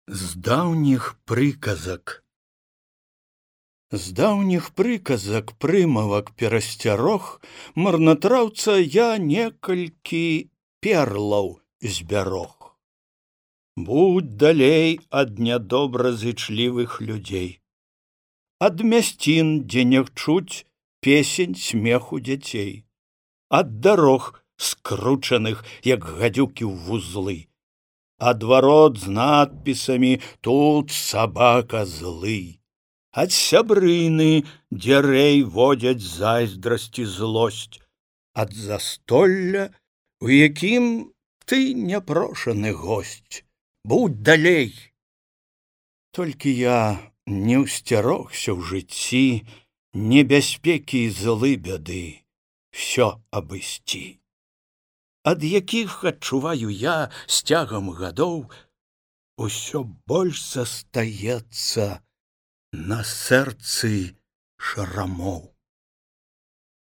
З даўніх прыказак. З даўніх прыказак прымавак перасцярог марнатраўца я некалькі перлаў збярог. Будь далей ад нядобразычлівых людзей, ад мясцін, дзе не чуць песень смеху дзяцей, ад дарог скручаных, як гадзюкі ў вузлы, ад варот з надпісамі «Тут сабака злы», ад сябрыны, дзе рэй водзяць зайздрасць і злосць, ад застолля, у якім ты няпрошаны госць. Будь далей. Толькі я не ўсцярогся ў жыцці небяспекі і злы бяды, всё абысці, ад якіх адчуваю я з цягам гадоў, усё больш застаецца на сэрцы шрамоў.